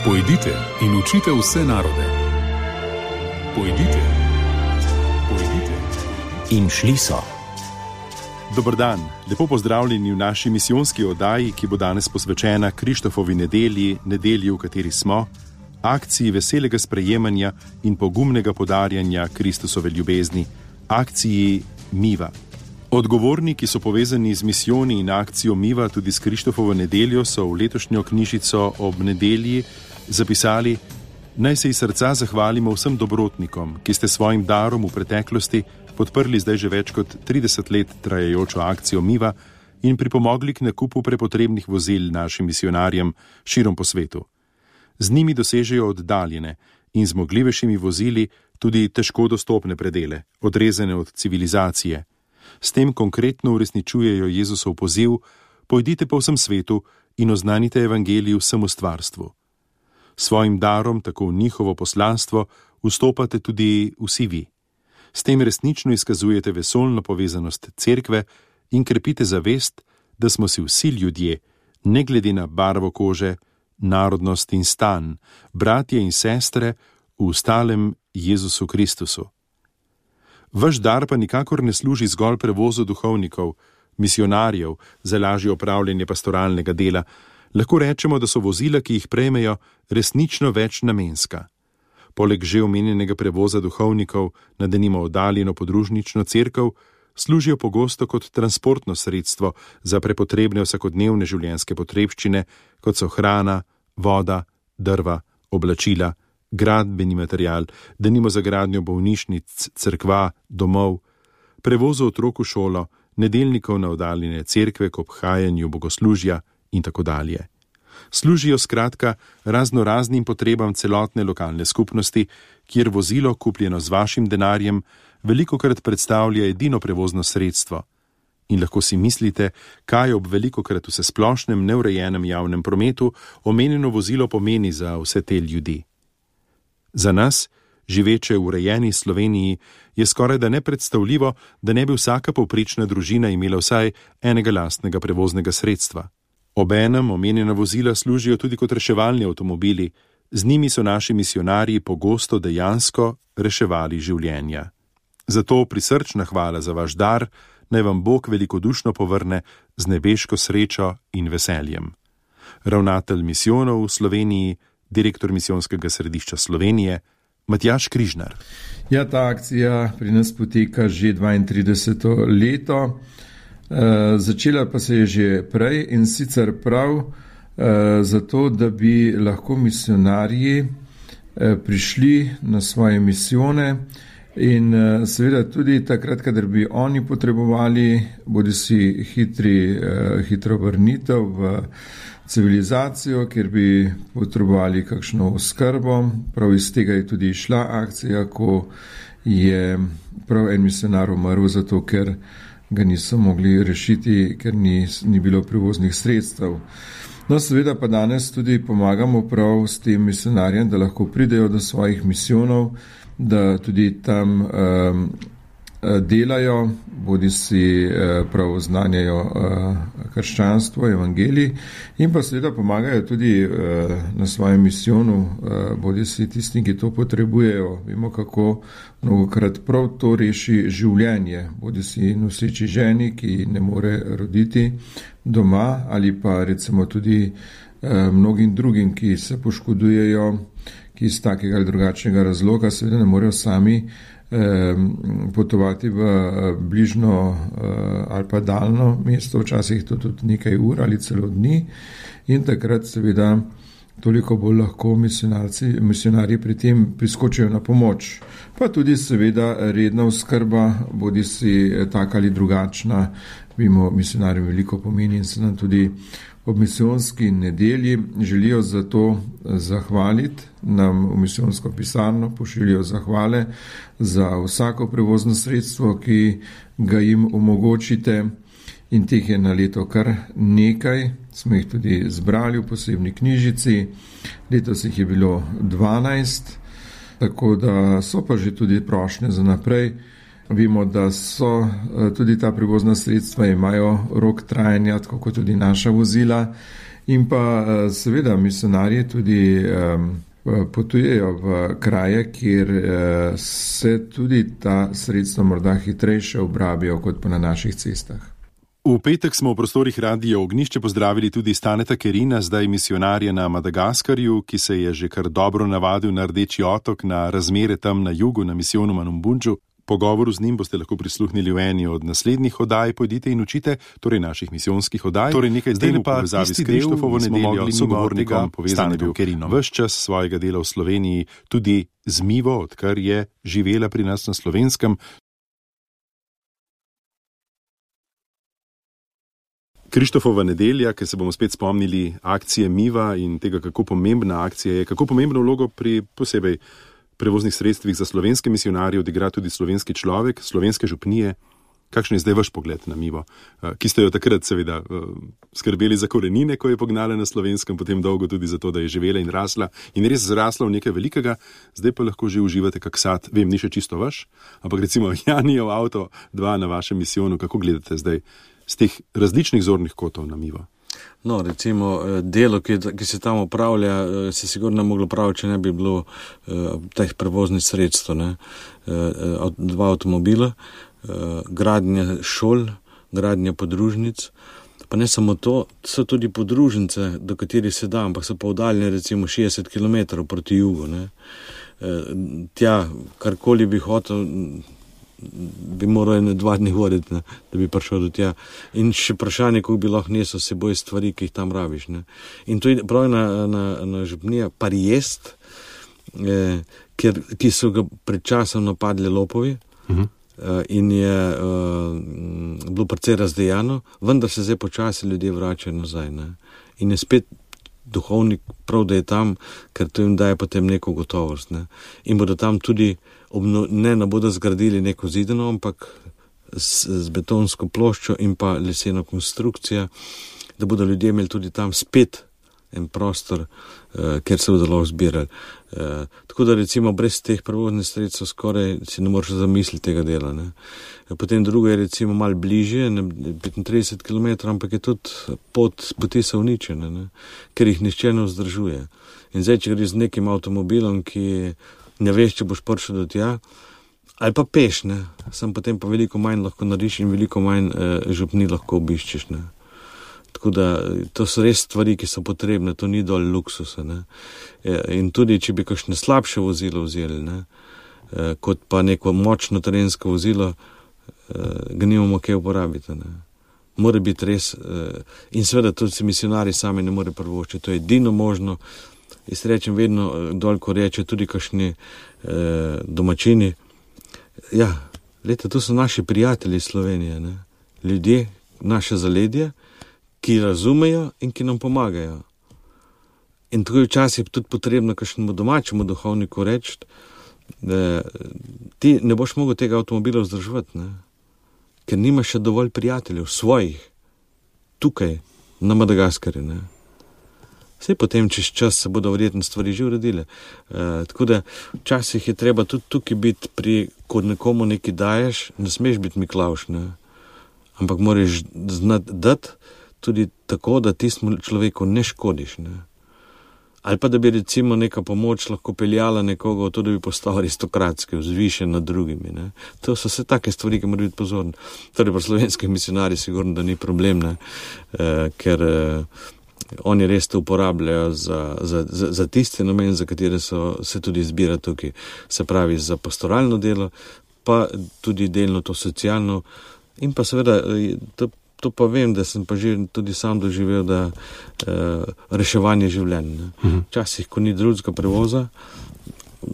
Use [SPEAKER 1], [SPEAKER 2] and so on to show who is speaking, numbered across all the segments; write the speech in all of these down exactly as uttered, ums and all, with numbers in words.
[SPEAKER 1] Pojdite in učite vse narode. Pojdite, pojdite.
[SPEAKER 2] In šli so.
[SPEAKER 3] Dober dan, lepo pozdravljeni v naši misijonski oddaji, ki bo danes posvečena Krištofovi nedelji, nedelji, v kateri smo, akciji veselega sprejemanja in pogumnega podarjanja Kristusove ljubezni, akciji Miva. Odgovorni, ki so povezani z misijoni in akcijo Miva, tudi s Krištofovo nedeljo, so v letošnjo knjižico ob nedelji zapisali: naj se iz srca zahvalimo vsem dobrotnikom, ki ste svojim darom v preteklosti podprli zdaj že več kot trideset let trajajočo akcijo Miva in pripomogli k nakupu prepotrebnih vozil našim misionarjem širom po svetu. Z njimi dosežejo oddaljene in zmogljivejšimi vozili tudi težko dostopne predele, odrezane od civilizacije. S tem konkretno uresničujejo Jezusov poziv: pojdite po vsem svetu in oznanite evangelij vsemu stvarstvu. Svojim darom, tako v njihovo poslanstvo, vstopate tudi vsi vi. S tem resnično izkazujete vesoljno povezanost cerkve in krepite zavest, da smo si vsi ljudje, ne glede na barvo kože, narodnost in stan, bratje in sestre v stalem Jezusu Kristusu. Vaš dar pa nikakor ne služi zgolj prevozu duhovnikov, misionarjev za lažje opravljanje pastoralnega dela. Lahko rečemo, da so vozila, ki jih prejmejo, resnično večnamenska. Poleg že omenjenega prevoza duhovnikov na denimo oddaljeno podružnično cerkev, služijo pogosto kot transportno sredstvo za prepotrebne vsakodnevne življenjske potrebščine, kot so hrana, voda, drva, oblačila, gradbeni material, denimo za gradnjo bolnišnic, cerkva, domov, prevozu otrok v šolo, nedeljnikov na oddaljene cerkve k obhajanju bogoslužja in tako dalje. Služijo skratka razno raznim potrebam celotne lokalne skupnosti, kjer vozilo, kupljeno z vašim denarjem, velikokrat predstavlja edino prevozno sredstvo. In lahko si mislite, kaj ob velikokrat vsesplošnem neurejenem javnem prometu omenjeno vozilo pomeni za vse te ljudi. Za nas, živeče v urejeni Sloveniji, je skoraj da nepredstavljivo, da ne bi vsaka povprečna družina imela vsaj enega lastnega prevoznega sredstva. Obenem omenjena vozila služijo tudi kot reševalni avtomobili, z njimi so naši misionarji pogosto dejansko reševali življenja. Zato prisrčna hvala za vaš dar, naj vam Bog velikodušno povrne z nebeško srečo in veseljem. Ravnatelj misijonov v Sloveniji, direktor misijonskega središča Slovenije, Matjaž Križnar.
[SPEAKER 4] Ja, ta akcija pri nas poteka že dvaintrideseto leto. E, začela pa se je že prej in sicer prav e, zato, da bi lahko misionarji e, prišli na svoje misijone in e, seveda tudi takrat, kadar bi oni potrebovali bodisi hitri, e, hitro vrnitev v civilizacijo, kjer bi potrebovali kakšno oskrbo. Prav iz tega je tudi išla akcija, ko je prav en misionar umrl, zato ker ga niso mogli rešiti, ker ni, ni bilo prevoznih sredstev. No, seveda pa danes tudi pomagamo prav s tem misionarjem, da lahko pridejo do svojih misijonov, da tudi tam um, delajo, bodi si prav znanjajo krščanstvo, evangelij in pa seveda pomagajo tudi na svojem misijonu, bodi si tisti, ki to potrebujejo. Vemo, kako mnogokrat prav to reši življenje, bodi si noseči ženi, ki ne more roditi doma, ali pa recimo tudi mnogim drugim, ki se poškodujejo, ki iz takega ali drugačnega razloga seveda ne morejo sami potovati v bližno ali pa daljno mesto, včasih to tudi nekaj ur ali celo dni, in takrat seveda toliko bolj lahko misionarji pri tem priskočijo na pomoč. Pa tudi seveda redna oskrba, bodi si taka ali drugačna, vemo, misionarjem veliko pomeni in se nam tudi ob misijonski nedelji želijo za to zahvaliti, nam v misijonsko pisarno pošiljajo zahvale za vsako prevozno sredstvo, ki ga jim omogočite, in teh je na leto kar nekaj. Smo jih tudi zbrali v posebni knjižici, letos jih je bilo dvanajst, tako da so pa že tudi prošnje za naprej. Vemo, da so tudi ta prevozna sredstva, imajo rok trajanja, tako kot tudi naša vozila, In pa seveda misionarji tudi um, potujejo v kraje, kjer uh, se tudi ta sredstva morda hitrejše obrabijo kot pa na naših cestah.
[SPEAKER 3] V petek smo v prostorih Radia Ognjišče pozdravili tudi Staneta Kerina, zdaj misionarja na Madagaskarju, ki se je že kar dobro navadil na Rdeči otok, na razmere tam na jugu, na misijonu Manumbundžu. Pogovoru z njim boste lahko prisluhnili v eni od naslednjih oddaj Pojdite in učite, torej naših misijonskih oddaj. Torej nekaj zdaj v povezavi s Krištofovo nedeljo, sogovornikom povezan je bil Kerinom. Ves čas svojega dela v Sloveniji, tudi z Mivo, odkar je živela pri nas na Slovenskem. Krištofova nedelja, ker se bomo spet spomnili akcije Miva in tega, kako pomembna akcija je, kako pomembno vlogo pri posebej prevoznih sredstvih za slovenske misionarje odigra tudi slovenski človek, slovenske župnije. Kakšen je zdaj vaš pogled na Mivo, ki ste jo takrat seveda skrbeli za korenine, ko je pognala na Slovenskem, potem dolgo tudi za to, da je živela in rasla in res zrasla v nekaj velikega, zdaj pa lahko že uživate kak sad, vem, ni še čisto vaš, ampak recimo Janijev avto dva na vašem misijonu, kako gledate zdaj z teh različnih zornih kotov na Mivo?
[SPEAKER 2] No, recimo, delo, ki, ki se tam upravlja, se sigurno moglo praviti, če ne bi bilo eh, teh prevoznih sredstv, ne? Eh, dva avtomobila, eh, gradnja šol, gradnja podružnic, pa ne samo to, so tudi podružnice, do katerih se da, ampak so pa oddaljene recimo šestdeset kilometrov proti jugu, ne? Eh, tja, karkoli bi hotel, bi moral ene dva dni voditi, ne, da bi prišel do tja. In še vprašanje, kako bi lahko nesel s seboj stvari, ki jih tam rabiš. Ne. In to je prav na, na, na župnija Parijest, eh, kjer, ki so ga pred časom napadli lopovi uh-huh. eh, in je eh, bilo precej razdejano, vendar se zdaj počasi ljudje vračajo nazaj. Ne. In je spet duhovnik prav, da je tam, ker to jim daje potem neko gotovost. Ne. In bodo tam tudi Obno, ne, ne bodo zgradili neko zidano, ampak z, z betonsko ploščo in pa leseno konstrukcijo, da bodo ljudje imeli tudi tam spet en prostor, eh, kjer se bodo lahko zbirali. Eh, tako da recimo brez teh prevoznih sredstev skoraj si ne moreš zamisliti tega dela. Ne. Potem drugo je recimo malo bližje, ne, petintrideset kilometrov, ampak je tudi pot, poti so uničene, ne, ker jih nihče ne vzdržuje. In zdaj, če gre z nekim avtomobilom, ki ne veš, če boš prišel do tja, ali pa peš, ne, sem potem pa veliko manj lahko nariš in veliko manj eh, župni lahko obiščeš, ne. Tako da to so res stvari, ki so potrebne, to ni dol luksusa, ne. E, in tudi, če bi kakšne slabše vozilo vzeli, ne, e, kot pa neko močno terensko vozilo, e, ga nimamo kaj uporabiti, ne. Mora biti res, e, in seveda tudi se misionari sami ne more prvoščiti, to je edino možno. Jaz rečem vedno, dol, ko reče tudi kakšni eh, domačini, ja, leta, to so naši prijatelji iz Slovenije, ne? Ljudje, naše zaledje, ki razumejo in ki nam pomagajo. In tako je včasih tudi potrebno kakšnemu domačemu duhovniku reči, da ti ne boš mogel tega avtomobila vzdrževati, ne? Ker nimaš še dovolj prijateljev, svojih, tukaj, na Madagaskarju, ne? Vse potem, čez čas se bodo verjetno stvari že uredile. E, tako da včasih je treba tudi tukaj biti pri, ko nekomu nekaj daješ, ne smeš biti Miklavž, ne. Ampak moraš znati dati tudi tako, da tistemu človeku ne škodiš, ne. Ali pa da bi recimo neka pomoč lahko peljala nekoga v to, da bi postal aristokratski, vzvišen nad drugimi, ne. To so vse take stvari, ki morajo biti pozorni. Torej, pri slovenskih misionarjih sigurno, da ni problem, ne, e, ker e, oni res to uporabljajo za, za, za, za tiste namen, za katere so, se tudi zbira tukaj. Se pravi, za pastoralno delo, pa tudi delno to socialno. In pa seveda, to, to pa vem, da sem pa že tudi sam doživel, da eh, reševanje življenja. Včasih, ko ni drugega prevoza,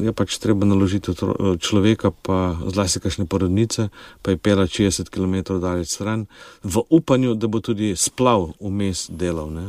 [SPEAKER 2] je pač treba naložiti človeka, pa zlasti kakšne porodnice, pa je pela šestdeset kilometrov daleč stran, v upanju, da bo tudi splav vmes delal, ne?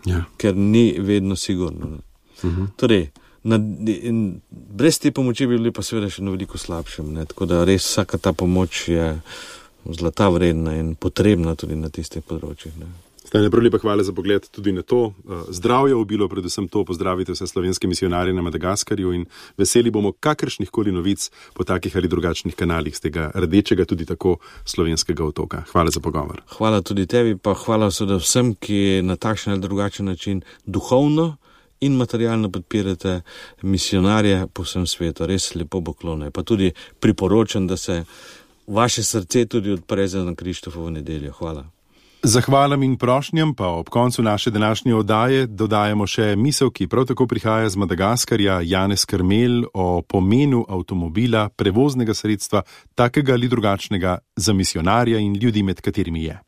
[SPEAKER 2] Ja. Ker ni vedno sigurno. Uh-huh. Torej, na, in, brez te pomoči bi bili pa seveda še na veliko slabšem, ne? Tako da res vsaka ta pomoč je zlata vredna in potrebna tudi na tistih področjih, ne?
[SPEAKER 3] Stane, prav lepa hvala za pogled tudi na to. Zdravje obilo, predvsem to, pozdravite vse slovenske misionarje na Madagaskarju in veseli bomo kakršnih koli novic po takih ali drugačnih kanalih z tega rdečega, tudi tako slovenskega otoka. Hvala za pogovor.
[SPEAKER 2] Hvala tudi tebi, pa hvala vsem, ki na takšen ali drugačen način duhovno in materialno podpirate misionarje po vsem svetu. Res lepo poklone. Pa tudi priporočam, da se vaše srce tudi odpre za Krištofovo nedeljo. Hvala.
[SPEAKER 3] Zahvalam in prošnjam pa ob koncu naše današnje oddaje dodajamo še misel, ki prav tako prihaja z Madagaskarja, Janez Krmel, o pomenu avtomobila, prevoznega sredstva, takega ali drugačnega, za misionarja in ljudi, med katerimi je.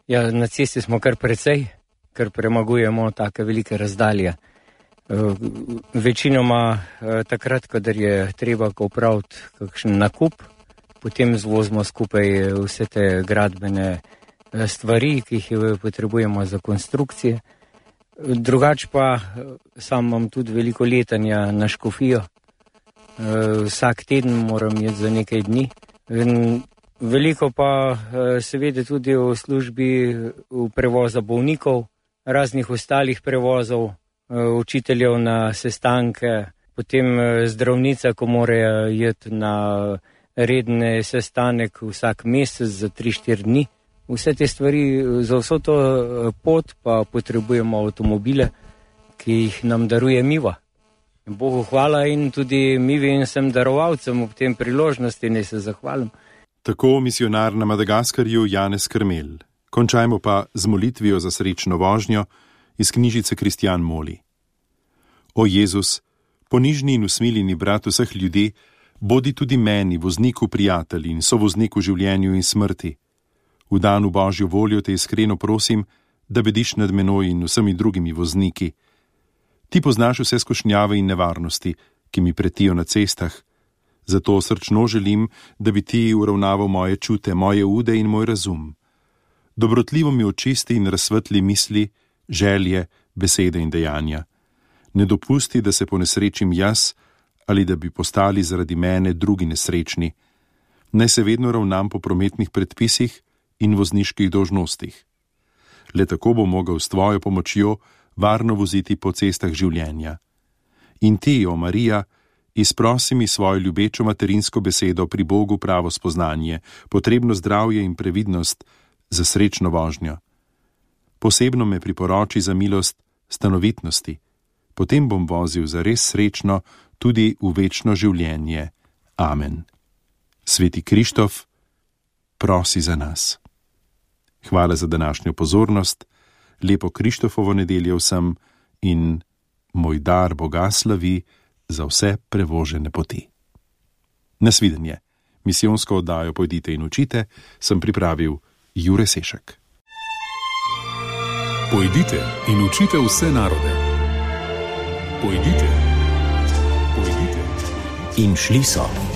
[SPEAKER 5] Ja, na cesti smo kar precej, ker premagujemo take velike razdalje. Večinoma takrat, kadar je treba opraviti kakšen nakup, potem zvozimo skupaj vse te gradbene stvari, ki jih potrebujemo za konstrukcije. Drugač pa sam imam tudi veliko letanja na Škofijo. Vsak teden moram jeti za nekaj dni. Veliko pa seveda tudi v službi v prevoza bolnikov, raznih ostalih prevozov, učiteljev na sestanke, potem zdravnica, ko morajo jeti na redne sestanek vsak mesec za tri štiri dni. Vse te stvari, za vso to pot pa potrebujemo avtomobile, ki jih nam daruje Miva. Bogu hvala in tudi Mivi in vsem darovalcem ob tem priložnosti naj se zahvalim.
[SPEAKER 3] Tako misionar na Madagaskarju Janez Krmel. Končajmo pa z molitvijo za srečno vožnjo iz knjižice Kristjan moli. O Jezus, ponižni in usmiljeni brat vseh ljudi, bodi tudi meni, vozniku prijatelj in sovozniku življenju in smrti. V danu Božjo voljo te iskreno prosim, da bediš nad menoj in vsemi drugimi vozniki. Ti poznaš vse skušnjave in nevarnosti, ki mi pretijo na cestah. Zato srčno želim, da bi ti uravnaval moje čute, moje ude in moj razum. Dobrotljivo mi očisti in razsvetli misli, želje, besede in dejanja. Ne dopusti, da se ponesrečim jaz ali da bi postali zaradi mene drugi nesrečni. Naj se vedno ravnam po prometnih predpisih in vozniških dolžnostih. Le tako bo mogel s tvojo pomočjo varno voziti po cestah življenja. In ti, o Marija, izprosi mi svojo ljubečo materinsko besedo pri Bogu pravo spoznanje, potrebno zdravje in previdnost za srečno vožnjo. Posebno me priporoči za milost stanovitnosti, potem bom vozil za res srečno tudi v večno življenje. Amen. Sveti Krištof, prosi za nas. Hvala za današnjo pozornost, lepo Krištofovo nedeljo vsem in moj dar Boga slavi za vse prevožene poti. Nasvidenje. Misijonsko oddajo Pojdite in učite sem pripravil Jure Sešek.
[SPEAKER 1] Pojdite in učite vse narode. Pojdite. Pojdite.
[SPEAKER 6] In šli so.